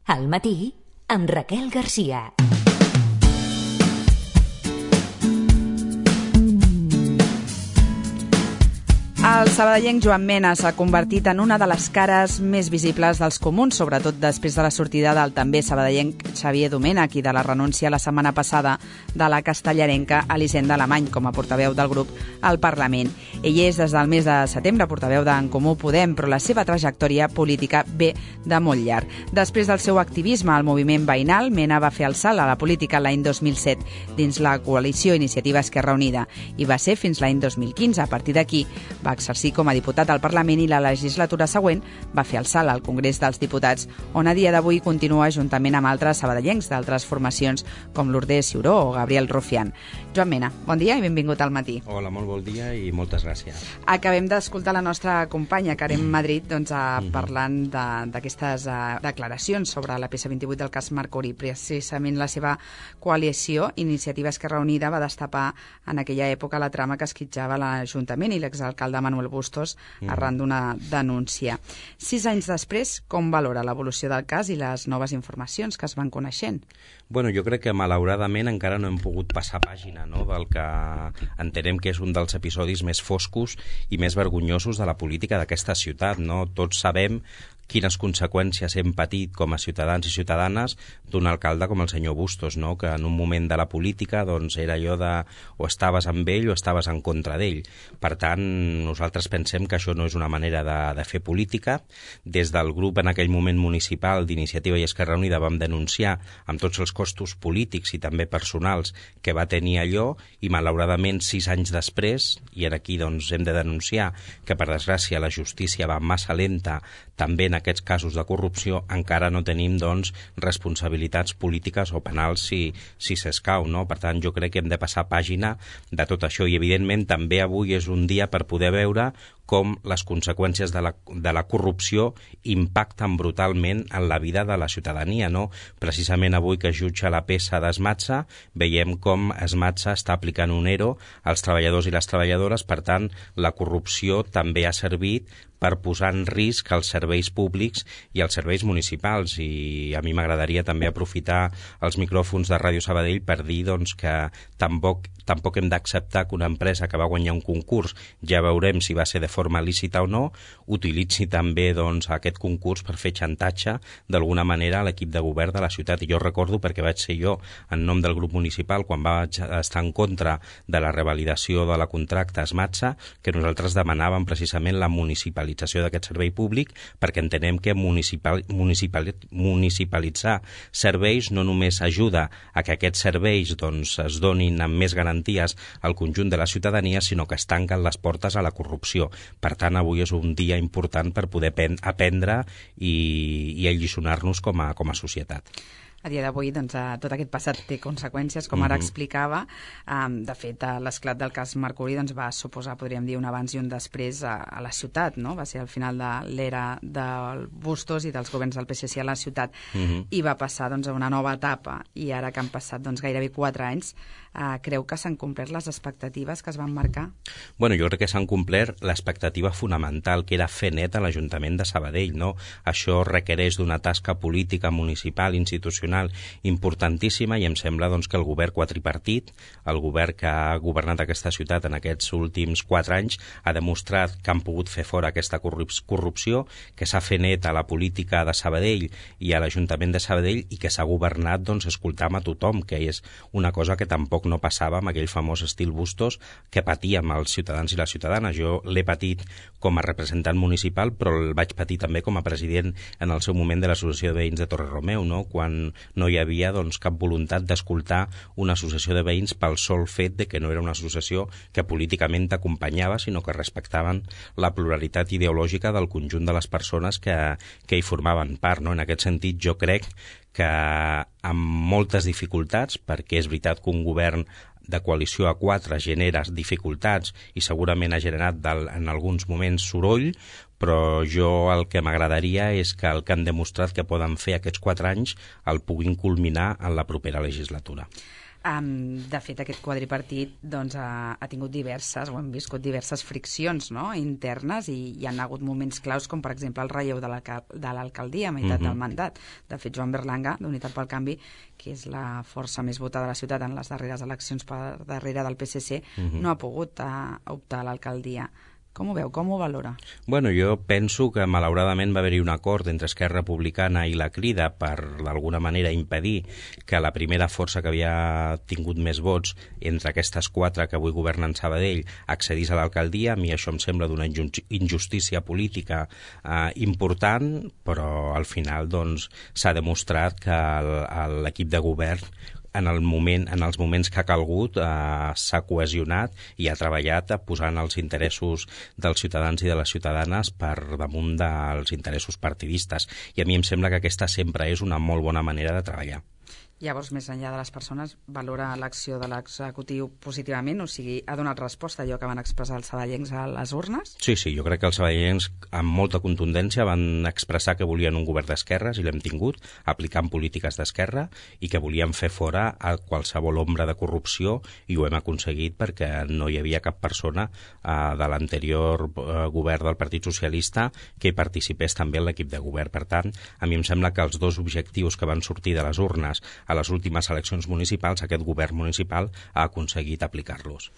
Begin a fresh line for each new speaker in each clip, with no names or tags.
Al matí, amb Raquel Garcia.
El sabadellenc Joan Mena s'ha convertit en una de les cares més visibles dels comuns, sobretot després de la sortida del també sabadellenc Xavier Domènech i de la renúncia la setmana passada de la castellarenca Elisenda Alemany com a portaveu del grup al Parlament. Ell és des del mes de setembre portaveu d'En Comú Podem, però la seva trajectòria política ve de molt llarg. Després del seu activisme al moviment veïnal, Mena va fer el salt a la política l'any 2007 dins la coalició Iniciativa Esquerra Unida i va ser fins l'any 2015. A partir d'aquí va exercir com a diputat al Parlament i la legislatura següent va fer el salt al Congrés dels Diputats, on a dia d'avui continua juntament amb altres sabadellencs d'altres formacions com Lourdes Ciuró o Gabriel Rufián. Joan Mena, bon dia i benvingut al matí.
Hola, molt bon dia i moltes gràcies.
Acabem d'escoltar la nostra companya Karen Madrid parlant d'aquestes declaracions sobre la peça 28 del cas Mercuri. Precisament la seva coalició, Iniciativa Esquerra Unida, va destapar en aquella època la trama que esquitxava l'Ajuntament i l'exalcalde Manuel Bustos arran d'una denúncia. 6 anys després, com valora l'evolució del cas i les noves informacions que es van coneixent?
Bueno, jo crec que malauradament encara no hem pogut passar pàgina, no?, del que entenem que és un dels episodis més foscos i més vergonyosos de la política d'aquesta ciutat, no? Tots sabem quines conseqüències hem patit com a ciutadans i ciutadanes d'un alcalde com el senyor Bustos, no?, que en un moment de la política doncs, era allò de o estaves amb ell o estaves en contra d'ell. Per tant, nosaltres pensem que això no és una manera de fer política. Des del grup en aquell moment municipal d'Iniciativa i Esquerra Unida vam denunciar amb tots els costos polítics i també personals que va tenir allò i malauradament 6 anys després, i aquí doncs, hem de denunciar que per desgràcia la justícia va massa lenta també en aquests casos de corrupció, encara no tenim doncs, responsabilitats polítiques o penals si s'escau, no? Per tant, jo crec que hem de passar pàgina de tot això i evidentment també avui és un dia per poder veure com les conseqüències de la corrupció impacten brutalment en la vida de la ciutadania, no? Precisament avui que es jutja la peça d'Esmatsa, veiem com Esmatsa està aplicant un ERO als treballadors i les treballadores, per tant, la corrupció també ha servit per posar en risc els serveis públics i els serveis municipals. I a mi m'agradaria també aprofitar els micròfons de Ràdio Sabadell per dir doncs, que tampoc hem d'acceptar que una empresa que va guanyar un concurs, ja veurem si va ser de forma lícita o no, utilitzi també doncs, aquest concurs per fer xantatge d'alguna manera a l'equip de govern de la ciutat. I jo recordo, perquè vaig ser jo en nom del grup municipal, quan vaig estar en contra de la revalidació de la contracte Esmatsa, que nosaltres demanàvem precisament la municipalització d'aquest servei públic, perquè entenem que municipalitzar serveis no només ajuda a que aquests serveis doncs, es donin amb més garanties al conjunt de la ciutadania, sinó que es tanquen les portes a la corrupció. Per tant, avui és un dia important per poder aprendre i alliçonar-nos com a societat.
A dia d'avui, doncs, tot aquest passat té conseqüències, com ara explicava. De fet, l'esclat del cas Mercuri doncs, va suposar, podríem dir, un abans i un després a la ciutat, no? Va ser al final de l'era del Bustos i dels governs del PSC a la ciutat i va passar doncs, a una nova etapa. I ara que han passat doncs, gairebé 4 anys, creu que s'han complert les expectatives que es van marcar?
Bueno, jo crec que s'han complert l'expectativa fonamental, que era fer net a l'Ajuntament de Sabadell, no? Això requereix d'una tasca política, municipal, institucional importantíssima i em sembla doncs, que el govern quadripartit, el govern que ha governat aquesta ciutat en aquests últims 4 anys, ha demostrat que han pogut fer fora aquesta corrupció, que s'ha fet net a la política de Sabadell i a l'Ajuntament de Sabadell i que s'ha governat doncs, escoltant a tothom, que és una cosa que tampoc no passava amb aquell famós estil Bustos que patíem els ciutadans i les ciutadanes. Jo l'he patit com a representant municipal, però el vaig patir també com a president en el seu moment de l'Associació de Veïns de Torredemeu, no? Quan no hi havia doncs, cap voluntat d'escoltar una associació de veïns pel sol fet de que no era una associació que políticament t'acompanyava, sinó que respectaven la pluralitat ideològica del conjunt de les persones que hi formaven part, no? En aquest sentit, jo crec que amb moltes dificultats, perquè és veritat que un govern de coalició a 4 genera dificultats i segurament ha generat en alguns moments soroll, però jo el que m'agradaria és que el que han demostrat que poden fer aquests 4 anys el puguin culminar en la propera legislatura.
De fet, aquest quadripartit doncs, ha tingut ho hem viscut diverses friccions, no?, internes, i hi ha hagut moments claus, com per exemple el relleu de l'alcaldia a meitat del mandat. De fet, Joan Berlanga, d'Unitat pel Canvi, que és la força més votada de la ciutat en les darreres eleccions per darrere del PSC, no ha pogut optar a l'alcaldia. Com ho veu? Com ho valora?
Bueno, jo penso que malauradament va haver-hi un acord entre Esquerra Republicana i la Crida per, d'alguna manera, impedir que la primera força que havia tingut més vots entre aquestes 4 que avui governen Sabadell accedís a l'alcaldia. A mi això em sembla d'una injustícia política important, però al final doncs, s'ha demostrat que l'equip de govern en els moments que ha calgut s'ha cohesionat i ha treballat posant els interessos dels ciutadans i de les ciutadanes per damunt dels interessos partidistes. I a mi em sembla que aquesta sempre és una molt bona manera de treballar.
Llavors, més enllà de les persones, valora l'acció de l'executiu positivament? O sigui, ha donat resposta a allò que van expressar els sabadellencs a les urnes?
Sí, jo crec que els sabadellencs amb molta contundència van expressar que volien un govern d'esquerres, i l'hem tingut, aplicant polítiques d'esquerra, i que volien fer fora a qualsevol ombra de corrupció, i ho hem aconseguit perquè no hi havia cap persona de l'anterior govern del Partit Socialista que hi participés també en l'equip de govern. Per tant, a mi em sembla que els 2 objectius que van sortir de les urnes a les últimes eleccions municipals, aquest govern municipal ha aconseguit aplicar-los.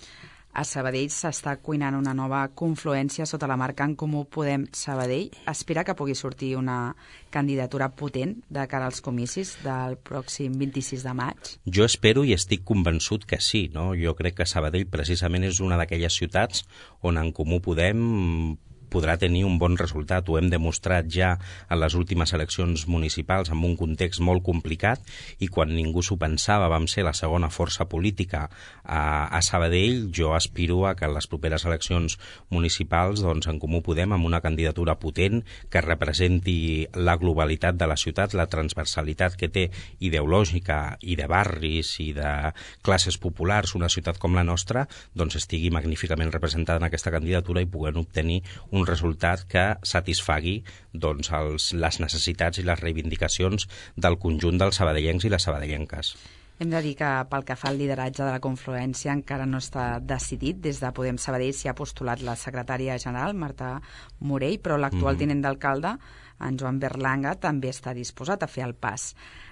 A Sabadell s'està cuinant una nova confluència sota la marca En Comú Podem Sabadell. Espera que pugui sortir una candidatura potent de cara als comicis del pròxim 26 de maig?
Jo espero i estic convençut que sí, no? Jo crec que Sabadell precisament és una d'aquelles ciutats on En Comú Podem podrà tenir un bon resultat. Ho hem demostrat ja en les últimes eleccions municipals en un context molt complicat, i quan ningú s'ho pensava vam ser la segona força política a Sabadell. Jo aspiro a que en les properes eleccions municipals doncs, En Comú Podem, amb una candidatura potent que representi la globalitat de la ciutat, la transversalitat que té ideològica i de barris i de classes populars, una ciutat com la nostra, doncs estigui magníficament representada en aquesta candidatura i puguem obtenir un resultat que satisfagui doncs, les necessitats i les reivindicacions del conjunt dels sabadellencs i les sabadellenques.
Hem de dir que pel que fa al lideratge de la confluència encara no està decidit. Des de Podem Sabadell s'hi ha postulat la secretària general, Marta Morell, però l'actual tinent d'alcalde, en Joan Berlanga, també està disposat a fer el pas.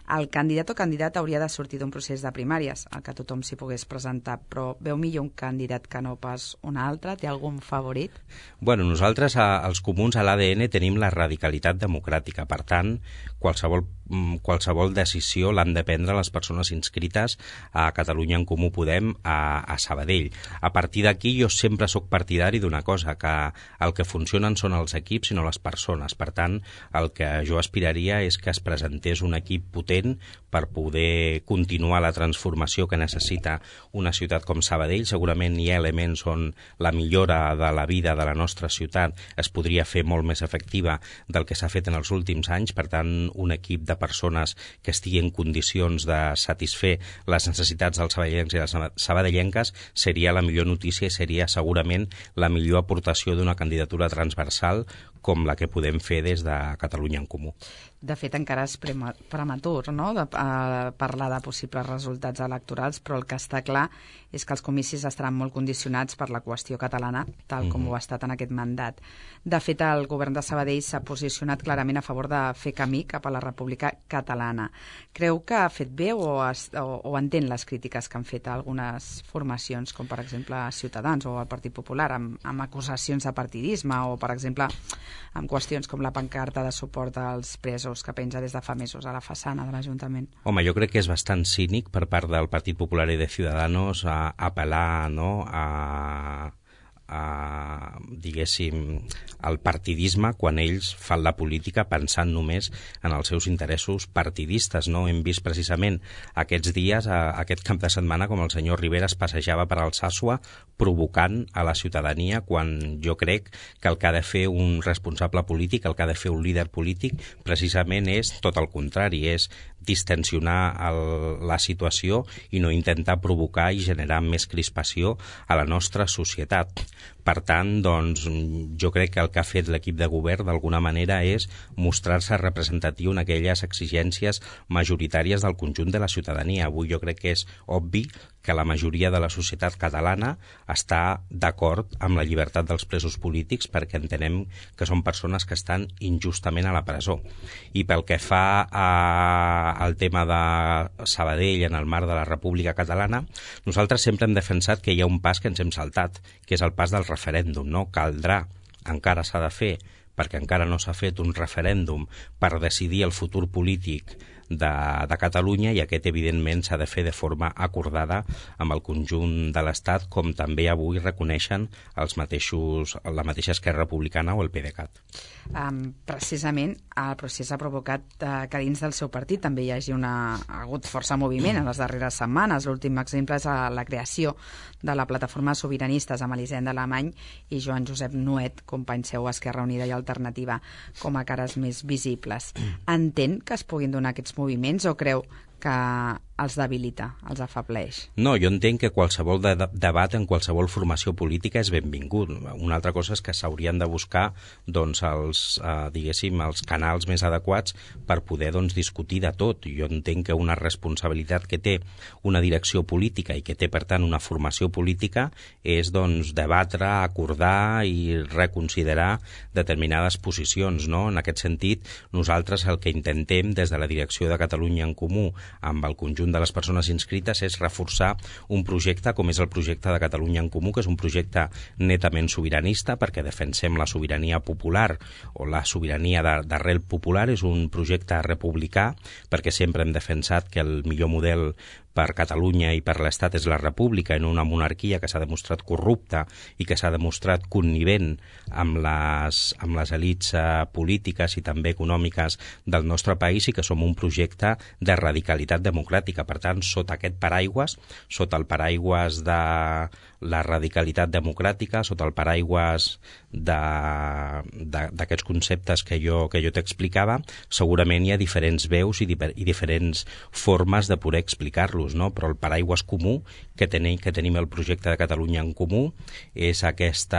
El candidat o candidat hauria de sortir d'un procés de primàries, al que tothom s'hi pogués presentar, però veu millor un candidat que no pas un altre? Té algun favorit?
Bueno, nosaltres, els comuns, a l'ADN tenim la radicalitat democràtica. Per tant, qualsevol decisió l'han de prendre les persones inscrites a Catalunya En Comú Podem a Sabadell. A partir d'aquí jo sempre sóc partidari d'una cosa, que el que funcionen són els equips i no les persones. Per tant, el que jo aspiraria és que es presentés un equip potent per poder continuar la transformació que necessita una ciutat com Sabadell. Segurament hi ha elements on la millora de la vida de la nostra ciutat es podria fer molt més efectiva del que s'ha fet en els últims anys. Per tant, un equip de persones que estigui en condicions de satisfer les necessitats dels sabadellencs i les sabadellenques seria la millor notícia i seria segurament la millor aportació d'una candidatura transversal com la que podem fer des de Catalunya En Comú.
De fet, encara és prematur, no?, de parlar de possibles resultats electorals, però el que està clar és que els comicis estaran molt condicionats per la qüestió catalana, tal com ho ha estat en aquest mandat. De fet, el govern de Sabadell s'ha posicionat clarament a favor de fer camí cap a la República Catalana. Creu que ha fet bé o entén les crítiques que han fet algunes formacions, com per exemple Ciutadans o el Partit Popular, amb acusacions de partidisme o, per exemple, amb qüestions com la pancarta de suport als presos que penja des de fa mesos a la façana de l'Ajuntament?
Home, jo crec que és bastant cínic per part del Partit Popular i de Ciudadanos apel·lar, no?, diguéssim, al partidisme quan ells fan la política pensant només en els seus interessos partidistes, no? Hem vist precisament aquests dies, aquest cap de setmana, com el senyor Rivera es passejava per Alsàsua provocant a la ciutadania, quan jo crec que el que ha de fer un responsable polític, el que ha de fer un líder polític, precisament és tot el contrari, és distensionar la situació i no intentar provocar i generar més crispació a la nostra societat. Per tant, doncs, jo crec que el que ha fet l'equip de govern d'alguna manera és mostrar-se representatiu en aquelles exigències majoritàries del conjunt de la ciutadania. Avui jo crec que és obvi que la majoria de la societat catalana està d'acord amb la llibertat dels presos polítics perquè entenem que són persones que estan injustament a la presó. I pel que fa al tema de Sabadell en el marc de la República Catalana, nosaltres sempre hem defensat que hi ha un pas que ens hem saltat, que és el pas del referèndum, no? Caldrà, encara s'ha de fer, perquè encara no s'ha fet un referèndum per decidir el futur polític de Catalunya, i aquest evidentment s'ha de fer de forma acordada amb el conjunt de l'Estat, com també avui reconeixen la mateixa Esquerra Republicana o el PDeCAT.
Precisament el procés ha provocat que dins del seu partit també hi hagi ha hagut força moviment en les darreres setmanes. L'últim exemple és la creació de la plataforma Sobiranistes amb Elisenda Alemany i Joan Josep Nuet, company seu a Esquerra Unida i Alternativa, com a cares més visibles. Entén que es puguin donar aquests moviments o creu que els debilita, els afebleix?
No, jo entenc que qualsevol debat en qualsevol formació política és benvingut. Una altra cosa és que s'haurien de buscar doncs, els canals més adequats per poder discutir de tot. Jo entenc que una responsabilitat que té una direcció política i que té, per tant, una formació política és debatre, acordar i reconsiderar determinades posicions, no? En aquest sentit, nosaltres el que intentem des de la direcció de Catalunya en Comú amb el conjunt de les persones inscrites és reforçar un projecte com és el projecte de Catalunya en Comú, que és un projecte netament sobiranista, perquè defensem la sobirania popular o la sobirania d'arrel popular. És un projecte republicà, perquè sempre hem defensat que el millor model per Catalunya i per l'Estat és la república, en una monarquia que s'ha demostrat corrupta i que s'ha demostrat connivent amb les elits polítiques i també econòmiques del nostre país, i que som un projecte de radicalitat democràtica. Per tant, sota aquest paraigües, sota el paraigües de la radicalitat democràtica, sota el paraigües d'aquests conceptes que jo t'explicava, segurament hi ha diferents veus i diferents formes de poder explicar-los, no? Però el paraigües comú que tenim el projecte de Catalunya en Comú és aquest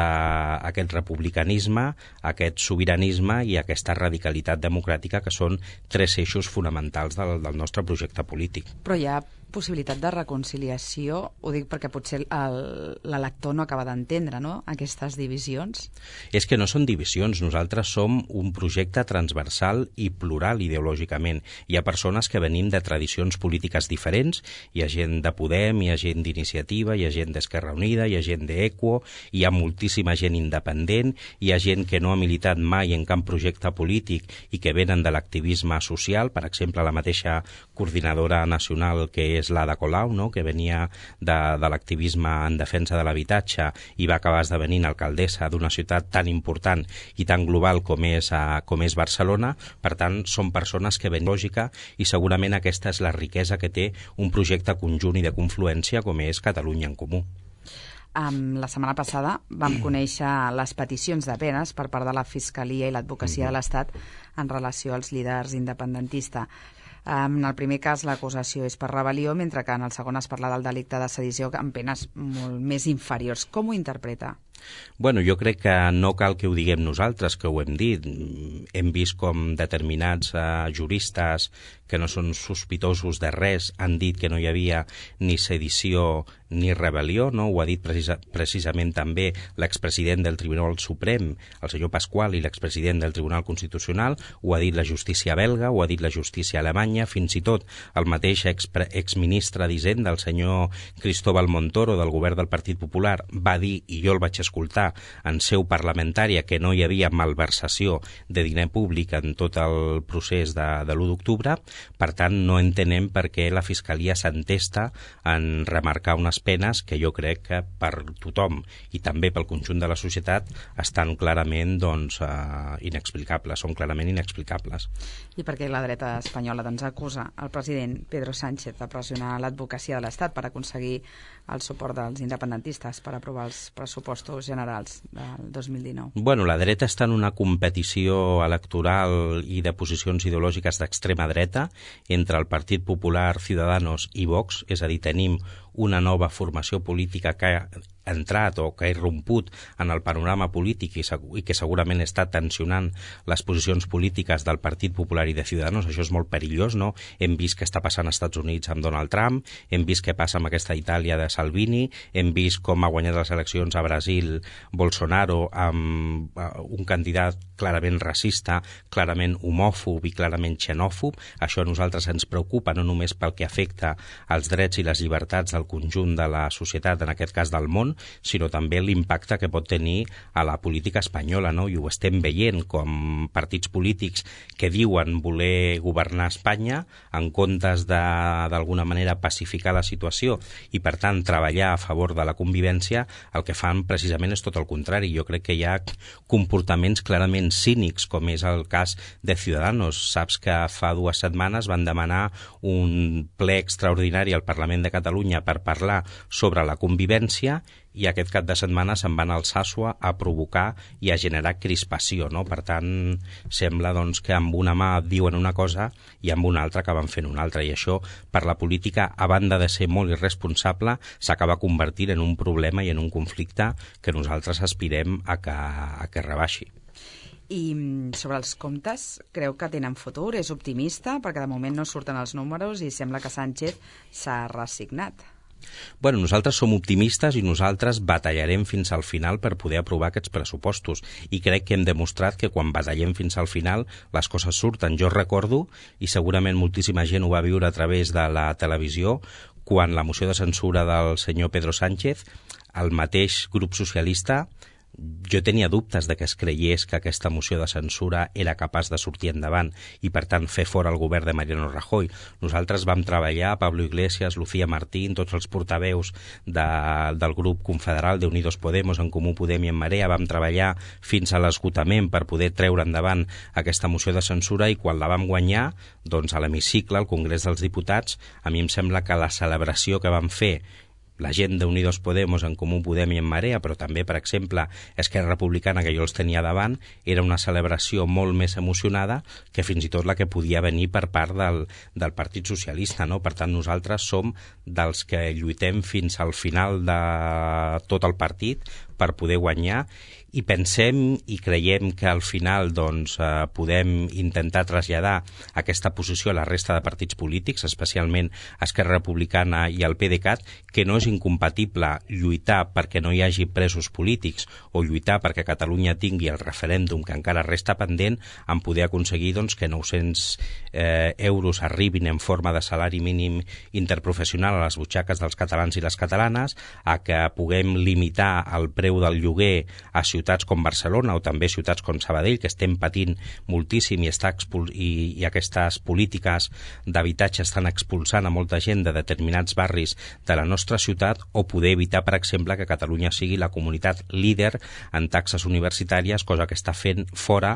republicanisme, aquest sobiranisme i aquesta radicalitat democràtica, que són tres eixos fonamentals del nostre projecte polític.
Però hi ha possibilitat de reconciliació? Ho dic perquè potser l'elector no acaba d'entendre, no?, aquestes divisions.
És que no són divisions, nosaltres som un projecte transversal i plural ideològicament. Hi ha persones que venim de tradicions polítiques diferents, hi ha gent de Podem, hi ha gent d'Iniciativa, hi ha gent d'Esquerra Unida, hi ha gent d'Equo, hi ha moltíssima gent independent, hi ha gent que no ha militat mai en cap projecte polític i que venen de l'activisme social, per exemple, la mateixa coordinadora nacional que és l'Ada Colau, no?, que venia de l'activisme en defensa de l'habitatge i va acabar esdevenint alcaldessa d'una ciutat tan important i tan global com és Barcelona. Per tant, són persones que venen lògica, i segurament aquesta és la riquesa que té un projecte conjunt i de confluència com és Catalunya en Comú.
La setmana passada vam conèixer les peticions de penes per part de la Fiscalia i l'Advocacia de l'Estat en relació als líders independentistes. En el primer cas l'acusació és per rebel·lió, mentre que en el segon es parla del delicte de sedició amb penes molt més inferiors. Com ho interpreta?
Bueno, jo crec que no cal que ho diguem nosaltres, que ho hem dit. Hem vist com determinats juristes que no són sospitosos de res han dit que no hi havia ni sedició ni rebel·lió, no? Ho ha dit precisament també l'expresident del Tribunal Suprem, el senyor Pasqual, i l'expresident del Tribunal Constitucional, ho ha dit la justícia belga, ho ha dit la justícia alemanya, fins i tot el mateix exministre d'Hisenda, el senyor Cristóbal Montoro, del govern del Partit Popular, va dir, i jo el vaig escoltar en seu parlamentària, que no hi havia malversació de diner públic en tot el procés de l'1 d'octubre. Per tant, no entenem per què la Fiscalia s'entesta en remarcar unes penes que jo crec que per tothom i també pel conjunt de la societat estan clarament inexplicables, són clarament inexplicables.
I per què la dreta espanyola acusa el president Pedro Sánchez de pressionar l'advocacia de l'Estat per aconseguir el suport dels independentistes per aprovar els pressupostos pressupostos generals del 2019?
Bueno, la dreta està en una competició electoral i de posicions ideològiques d'extrema dreta entre el Partit Popular, Ciudadanos i Vox, és a dir, tenim una nova formació política que ha entrat o que ha irromput en el panorama polític i que segurament està tensionant les posicions polítiques del Partit Popular i de Ciudadanos. Això és molt perillós, no? Hem vist què està passant als Estats Units amb Donald Trump, hem vist què passa amb aquesta Itàlia de Salvini, hem vist com ha guanyat les eleccions a Brasil Bolsonaro amb un candidat clarament racista, clarament homòfob i clarament xenòfob. Això a nosaltres ens preocupa no només pel que afecta als drets i les llibertats del conjunt de la societat, en aquest cas del món, sinó també l'impacte que pot tenir a la política espanyola, no? I ho estem veient com partits polítics que diuen voler governar Espanya en comptes d'alguna manera pacificar la situació i per tant treballar a favor de la convivència, el que fan precisament és tot el contrari. Jo crec que hi ha comportaments clarament cínics, com és el cas de Ciudadanos. Saps que fa 2 setmanes van demanar un ple extraordinari al Parlament de Catalunya per parlar sobre la convivència i aquest cap de setmana se'n van al Sàsua a provocar i a generar crispació, no? Per tant, sembla doncs, que amb una mà diuen una cosa i amb una altra acaben fent una altra, i això per la política, a banda de ser molt irresponsable, s'acaba convertint en un problema i en un conflicte que nosaltres aspirem a que rebaixi.
I sobre els comptes, creu que tenen futur? És optimista? Perquè de moment no surten els números i sembla que Sánchez s'ha resignat.
Bueno, nosaltres som optimistes i nosaltres batallarem fins al final per poder aprovar aquests pressupostos i crec que hem demostrat que quan batallem fins al final les coses surten. Jo recordo, i segurament moltíssima gent ho va viure a través de la televisió, quan la moció de censura del senyor Pedro Sánchez, el mateix grup socialista, jo tenia dubtes de que es creiés que aquesta moció de censura era capaç de sortir endavant i, per tant, fer fora el govern de Mariano Rajoy. Nosaltres vam treballar, Pablo Iglesias, Lucía Martín, tots els portaveus del grup confederal d'Unidos Podemos, En Comú Podem i En Marea, vam treballar fins a l'esgotament per poder treure endavant aquesta moció de censura i quan la vam guanyar, doncs a l'hemicicle, al Congrés dels Diputats, a mi em sembla que la celebració que vam fer la gent d'Unidos Podemos, En Comú Podem i En Marea, però també, per exemple, Esquerra Republicana, que jo els tenia davant, era una celebració molt més emocionada que fins i tot la que podia venir per part del Partit Socialista, no? Per tant, nosaltres som dels que lluitem fins al final de tot el partit per poder guanyar i pensem i creiem que al final doncs, podem intentar traslladar aquesta posició a la resta de partits polítics, especialment Esquerra Republicana i el PDeCAT, que no és incompatible lluitar perquè no hi hagi presos polítics o lluitar perquè Catalunya tingui el referèndum que encara resta pendent, en poder aconseguir doncs, que 900 euros arribin en forma de salari mínim interprofessional a les butxaques dels catalans i les catalanes, a que puguem limitar el preu del lloguer a ciutats com Barcelona o també ciutats com Sabadell, que estem patint moltíssim i aquestes polítiques d'habitatge estan expulsant a molta gent de determinats barris de la nostra ciutat, o poder evitar, per exemple, que Catalunya sigui la comunitat líder en taxes universitàries, cosa que està fent fora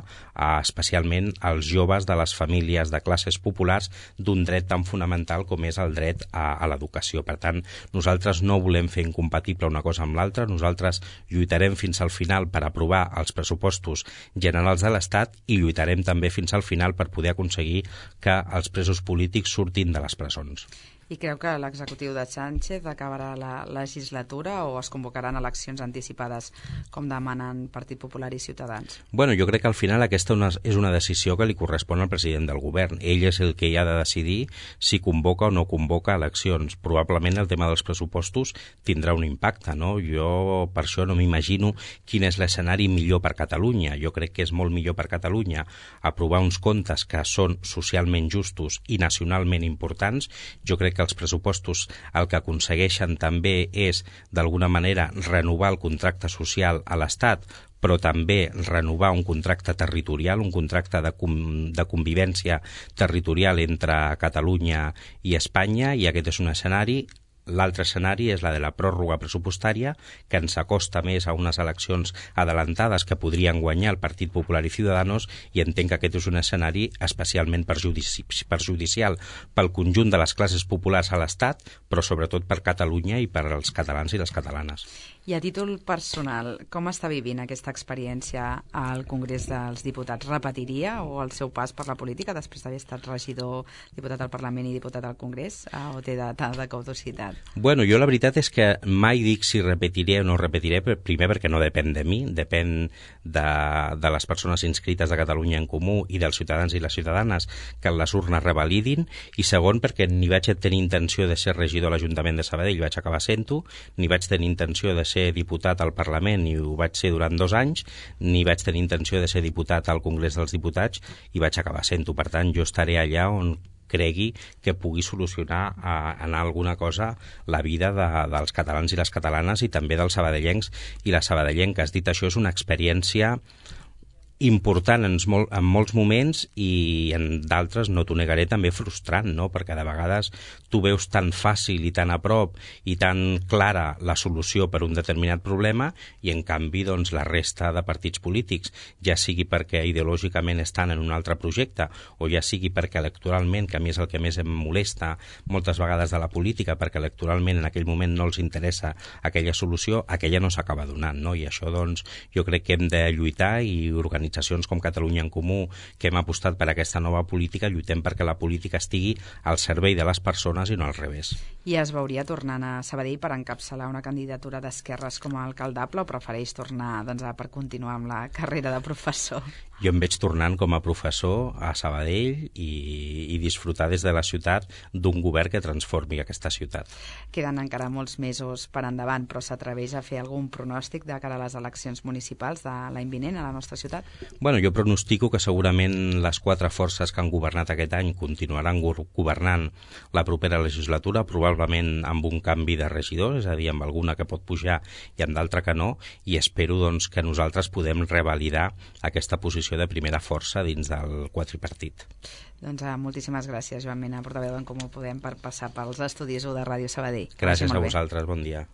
especialment els joves de les famílies de classes populars d'un dret tan fonamental com és el dret a l'educació. Per tant, nosaltres no volem fer incompatible una cosa amb l'altra, nosaltres lluitarem fins al final per aprovar els pressupostos generals de l'Estat i lluitarem també fins al final per poder aconseguir que els presos polítics surtin de les presons.
I creu que l'executiu de Sánchez acabarà la legislatura o es convocaran eleccions anticipades com demanen Partit Popular i Ciutadans?
Bueno, jo crec que al final aquesta és una decisió que li correspon al president del govern. Ell és el que hi ha de decidir si convoca o no convoca eleccions. Probablement el tema dels pressupostos tindrà un impacte, no? Jo per això no m'imagino quin és l'escenari millor per Catalunya. Jo crec que és molt millor per Catalunya aprovar uns comptes que són socialment justos i nacionalment importants. Jo crec que els pressupostos el que aconsegueixen també és, d'alguna manera, renovar el contracte social a l'Estat, però també renovar un contracte territorial, un contracte de convivència territorial entre Catalunya i Espanya, i aquest és un escenari. L'altre escenari és la de la pròrroga pressupostària, que ens acosta més a unes eleccions adelantades que podrien guanyar el Partit Popular i Ciudadanos, i entenc que aquest és un escenari especialment perjudicial pel conjunt de les classes populars a l'Estat, però sobretot per Catalunya i per als catalans i les catalanes.
I a títol personal, com està vivint aquesta experiència al Congrés dels Diputats? Repetiria o el seu pas per la política després d'haver estat regidor, diputat al Parlament i diputat al Congrés, o té data de caducitat?
Bueno, jo la veritat és que mai dic si repetiré o no repetiré, primer perquè no depèn de mi, depèn de les persones inscrites de Catalunya en Comú i dels ciutadans i les ciutadanes que les urnes revalidin, i segon perquè ni vaig tenir intenció de ser regidor a l'Ajuntament de Sabadell, vaig acabar sent-ho, ni vaig tenir intenció de ser diputat al Parlament i ho vaig ser durant 2 anys, ni vaig tenir intenció de ser diputat al Congrés dels Diputats i vaig acabar sent-ho. Per tant, jo estaré allà on cregui que pugui solucionar en alguna cosa la vida dels catalans i les catalanes i també dels sabadellencs i les sabadellenques. Dit això, és una experiència important en molts moments i en d'altres, no t'ho negaré, també frustrant, no? Perquè de vegades tu veus tan fàcil i tan a prop i tan clara la solució per un determinat problema i en canvi doncs la resta de partits polítics, ja sigui perquè ideològicament estan en un altre projecte o ja sigui perquè electoralment, que a mi és el que més em molesta moltes vegades de la política, perquè electoralment en aquell moment no els interessa aquella solució, aquella no s'acaba donant, no? I això doncs jo crec que hem de lluitar i organitzar com Catalunya en Comú, que hem apostat per aquesta nova política, lluitem perquè la política estigui al servei de les persones i no al revés.
I es veuria tornant a Sabadell per encapçalar una candidatura d'esquerres com a alcaldable o prefereix tornar per continuar amb la carrera de professor?
Jo em veig tornant com a professor a Sabadell i disfrutar des de la ciutat d'un govern que transformi aquesta ciutat.
Queden encara molts mesos per endavant, però s'atreveix a fer algun pronòstic de cara a les eleccions municipals de l'any vinent a la nostra ciutat?
Bueno, jo pronostico que segurament les 4 forces que han governat aquest any continuaran governant la propera legislatura, probablement amb un canvi de regidor, és a dir, amb alguna que pot pujar i amb d'altra que no, i espero doncs, que nosaltres podem revalidar aquesta posició de primera força dins del quadripartit.
Doncs moltíssimes gràcies, Joan Mena, portaveu d'en Comú Podem, per passar pels estudis de Ràdio Sabadell.
Gràcies a vosaltres, bon dia.